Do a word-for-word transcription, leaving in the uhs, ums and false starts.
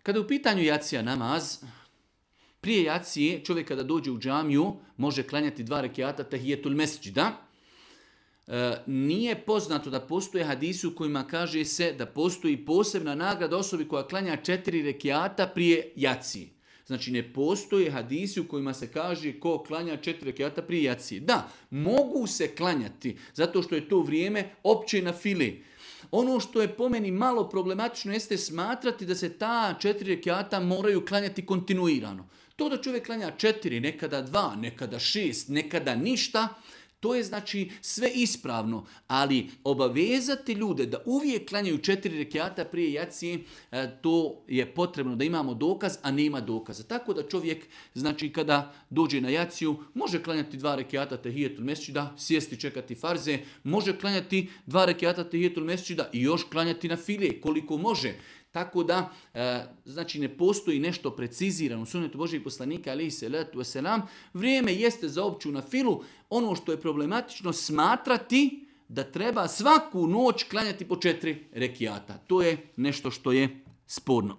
Kada je u pitanju jacija namaz, prije jacije čovjek kada dođe u džamiju može klanjati dva rekiata tahijetul mesdžida. E, nije poznato da postoje hadisi u kojima kaže se da postoji posebna nagrada osobi koja klanja četiri rekiata prije jacije. Znači ne postoje hadisi u kojima se kaže ko klanja četiri rekiata prije jacije. Da, mogu se klanjati zato što je to vrijeme opće na fili. Ono što je po meni malo problematično jeste smatrati da se ta četiri rekiata moraju klanjati kontinuirano. To da čovjek klanja četiri, nekada dva, nekada šest, nekada ništa, to je znači sve ispravno, ali obavezati ljude da uvijek klanjaju četiri rekiata prije jacije, to je potrebno da imamo dokaz, a nema dokaza. Tako da čovjek, znači kada dođe na jaciju, može klanjati dva rekiata tahijetul mesdžida, sjesti čekati farze, može klanjati dva rekiata tahijetul mesdžida i još klanjati na file koliko može. Tako da, e, znači ne postoji nešto precizirano u sunnetu Božijeg poslanika, alejhi selatu vesselam. Vrijeme jeste za opću na filu. Ono što je problematično smatrati da treba svaku noć klanjati po četiri rekiata. To je nešto što je sporno.